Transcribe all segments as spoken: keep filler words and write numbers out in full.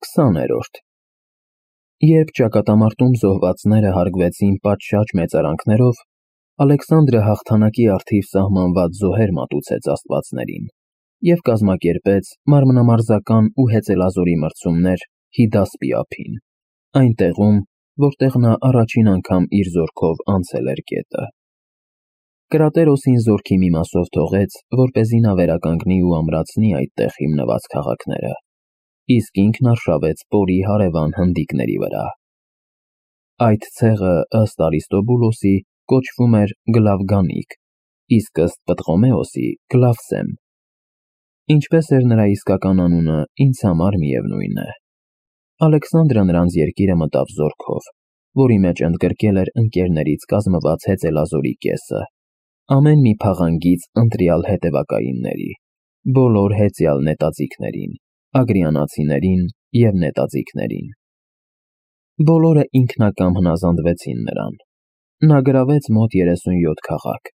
քսաներորդ Երբ ճակատամարտում զոհվածները հարգվեցին պատշաճ մեծարանքներով, Ալեքսանդրը հաղթանակի առթիվ սահմանված զոհեր մատուցեց աստվածներին և կազմակերպեց մարմնամարզական ու հեծելազորի մրցումներ Հիդասպի ափին, այն տեղում, որտեղ նա առաջին անգամ իր զորքով անցել էր գետը։ Կրատերոսին զորքի մի մասով թողեց, որպեսզի նա վերականգնի ու ամրացնի այդտեղ հիմնված քաղաքները, իսկ ինքն արշավեց Պորի հարևան հնդիկների վրա։ Այդ ցեղը, ըստ Արիստոբուլոսի, կոչվում էր Գլավգանիկ, իսկ ըստ Պտղոմեոսի՝ Գլավսեմ։ Ինչպես էր նրա իսկական անունը, ինձ համար միևնույն է։ Ալեքսանդրը նրանց երկիրը մտավ զորքով, որի մեջ ընդգրկել էր ընկերներից կազմված հեծելազորի կեսը, ամեն մի փաղանգից ընտրյալ հետևակայինների, բոլոր հեծյալ նետաձիգներին, ագրիանացիներին և նետաձիգներին։ Բոլորը ինքնակամ հնազանդվեցին նրան։ Նա գրավեց մոտ երեսունյոթ քաղաք,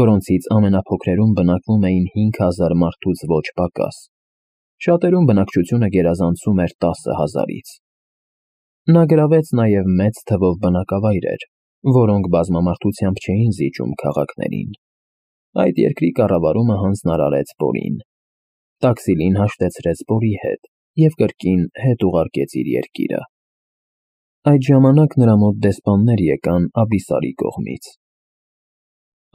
որոնցից ամենափոքրերում բնակվում էին հինգ հազար մարդուց ոչ պակաս, շատերում բնակչությունը գերազանցում էր տասը հազարից։ Նա գրավեց նաև մեծ թվով բնակավայրեր, որոնք բազմամարդությամբ չէին զիջում քաղաքներին։ Այդ երկրի կառավարումը հանձնարարեց Պորին։ Տաքսիլին հաշտեցրեց Պորի հետ և կրկին հետ ուղարկեց իր երկիրը։ Այդ ժամանակ նրա մոտ դեսպաններ եկան Աբիսարի կողմից։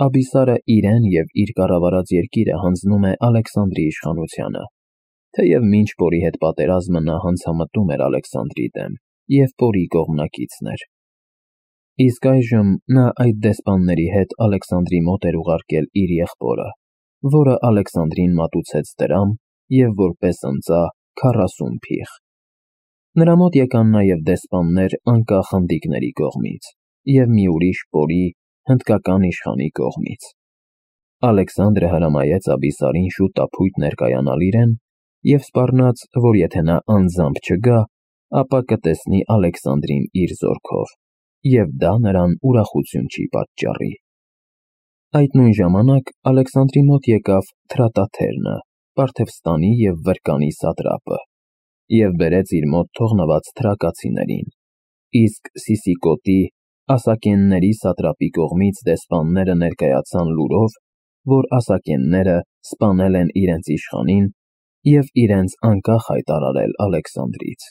Աբիսարը իրեն և իր կառավարած երկիրը հանձնում է Ալեքսանդրի իշխանությանը, թեև մինչ Պորի հետ պատերազմը նա հանցամտում էր Ալեքսանդրի դեմ և Պորի կողմնակիցն էր։ Իսկ այժմ նա այդ դեսպանների հետ Ալեքսանդրի մոտ էր ուղարկել իր եղբորը, որը Ալեքսանդրին մատուցեց դրամ և որպես ընծա քառասուն փիղ։ Նրա մոտ եկան նաև դեսպաններ անկախ հնդիկների կողմից և մի ուրիշ Պորի հնդկական իշխանի կողմից։ Ալեքսանդրը հրամայեց Աբիսարին շուտապույտ ներկայանալ իրեն և սպառնաց, որ եթե նա անձամբ չգա, ապա կտեսնի Ալեքսանդրին իր զորքով, և դա նրան ուրախություն չի պատճառի։ Այդ նույն ժամանակ Ալեքսանդրի մոտ եկավ Թրատաթերնը, Պարթևստանի և Վրկանի սատրապը, և բերեց իր մոտ թողնված թրակացիներին, իսկ Սիսիկոտի, ասակենների սատրապի կողմից դեսպանները ներկայացան լուրով, որ ասակենները սպանել են իրենց իշխանին և իրենց անկախ հայտարարել Ալեքսանդրից։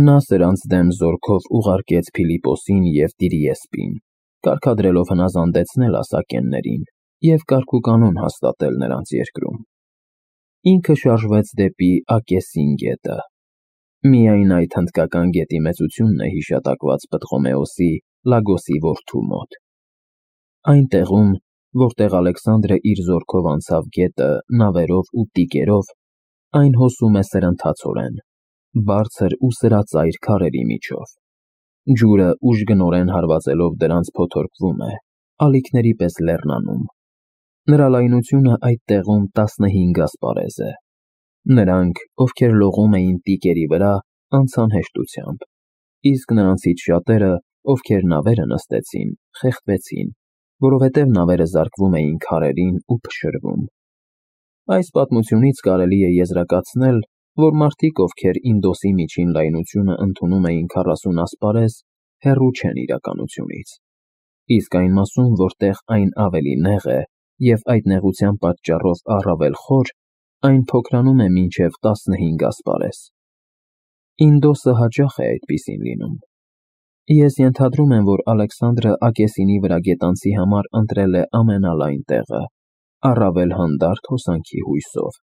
Նա սրանց դեմ զորքով ուղարկեց Փիլիպոսին և Տիրիեսպին, կարգադրելով հնազանդեցնել ասակեններին և կարգուկանոն հաստատել նրանց երկրում։ Ինքը շարժվեց դեպի Ակեսին գետը։ Միայն այդ հնդկական գետի մեծությունն է հիշատակված Պտղոմեոսի Լագոսի որդու մոտ։ Այն տեղում, որտեղ Ալեքսանդրը իր զորքով անցավ գետը նավերով ու տիկերով, այն հոսում է սրընթացորեն, բարձր ու սրածայր քարերի միջով։ Ջուրը ուժգնորեն հարվածելով դրանց փոթորկվում է, ալիքների պես լեռնանում։ Նրա լայնությունը այդ տեղում տասնհինգ ասպարեզ է։ Նրանք, ովքեր լողում էին տիկերի վրա, անցան հեշտությամբ, իսկ նրանցից շատերը, ովքեր նավերը նստեցին, խեղդվեցին, որովհետև նավերը զարկվում էին քարերին ու փշրվում։ Այս պատմությունից կարելի է եզրակացնել, որ մարդիկ, ովքեր Ինդոսի միջին լայնությունը ընդունում էին քառասուն ասպարեզ, հեռու չեն իրականությունից, իսկ այն մասում, որտեղ այն ավելի նեղ է և այդ նեղության պատճառով առավել խոր, այն փոքրանում է մինչև տասնհինգ ասպարեզ։ Ինդոսը հաճախ է այդպիսին լինում։ Ես ենթադրում եմ, որ Ալեքսանդրը Ակեսինի վրա գետանցի համար ընտրել է ամենալայն տեղը, առավել հանդարտ հոսանքի հույսով։